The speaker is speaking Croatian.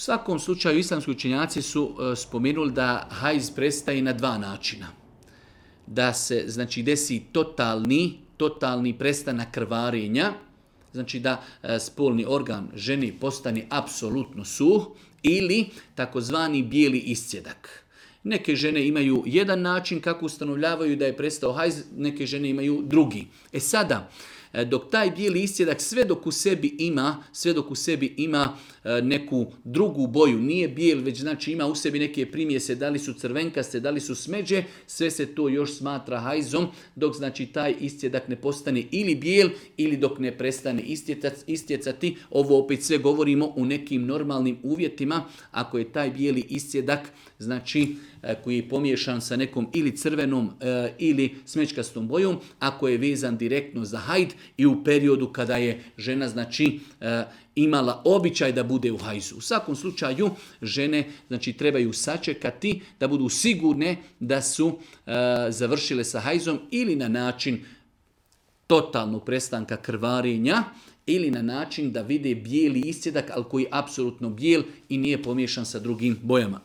svakom slučaju islamski učenjaci su spomenuli da hajz prestaje na dva načina. Da se znači desi totalni prestanak krvarenja, znači da spolni organ žene postane apsolutno suh, ili takozvani bijeli iscjedak. Neke žene imaju jedan način kako ustanovljavaju da je prestao hajz, neke žene imaju drugi. Sada, dok taj bijeli iscjedak sve dok u sebi ima neku drugu boju, nije bijel, već znači ima u sebi neke primjese, da li su crvenkaste, da li su smeđe, sve se to još smatra hajzom, dok znači taj iscjedak ne postane ili bijel ili dok ne prestane istjecati. Ovo opet sve govorimo u nekim normalnim uvjetima. Ako je taj bijeli iscjedak znači koji je pomiješan sa nekom ili crvenom ili smeđkastom bojom, ako je vezan direktno za hajd i u periodu kada je žena znači imala običaj da bude u hajzu. U svakom slučaju žene znači trebaju sačekati da budu sigurne da su završile sa hajzom, ili na način totalnog prestanka krvarenja, ili na način da vide bijeli iscjedak, ali koji je apsolutno bijel i nije pomiješan sa drugim bojama.